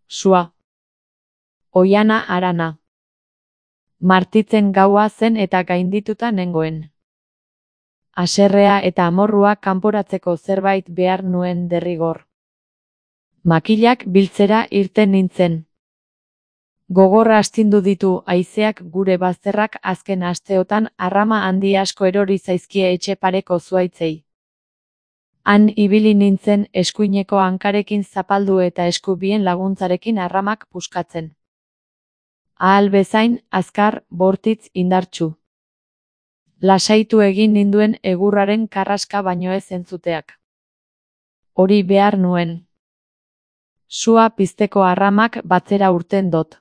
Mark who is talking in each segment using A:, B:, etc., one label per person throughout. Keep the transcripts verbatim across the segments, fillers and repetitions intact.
A: Sua. Oiana harana. Martitzen gaua zen eta gaindituta nengoen. Haserrea eta amorrua kanporatzeko zerbait behar nuen derrigor. Makilak biltzera irten nintzen. Gogorra astindu ditu haizeak gure bazterrak azken asteotan arrama handi asko erori zaizkie etxe pareko zuaitzei. Han ibili nintzen eskuineko hankarekin zapaldu eta eskubien laguntzarekin arramak puskatzen. Ahal bezain, azkar, bortitz, indartsu. Lasaitu egin ninduen egurraren karraska baino ez entzuteak. Hori behar nuen. Sua pizteko arramak batzera urten dot.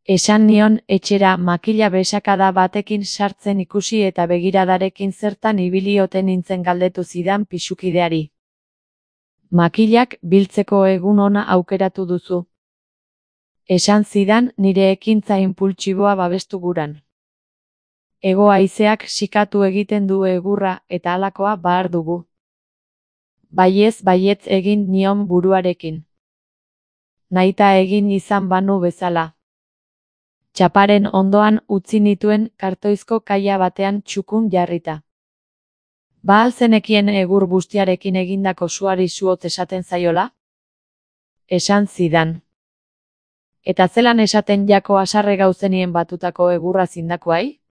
A: Esan nion etxera makila besakada batekin sartzen ikusi eta begiradarekin zertan ibili ote nintzen galdetu zidan pisukideari. Makilak biltzeko egun ona aukeratu duzu. Esan zidan nire ekintza inpultsiboa babestu guran. Hego haizeak sikatu egiten du egurra eta halakoa bahar dugu. Baiez baietz egin nion buruarekin. Nahita egin izan banu bezala. Txaparen ondoan utzi nituen kartoizko kaia batean txukun jarrita. Ba al zenekien egur bustiarekin egindako suari suotz esaten zaiola? Esan zidan. Eta zelan esaten jako haserre gauzenien batutako egurra zindakoai?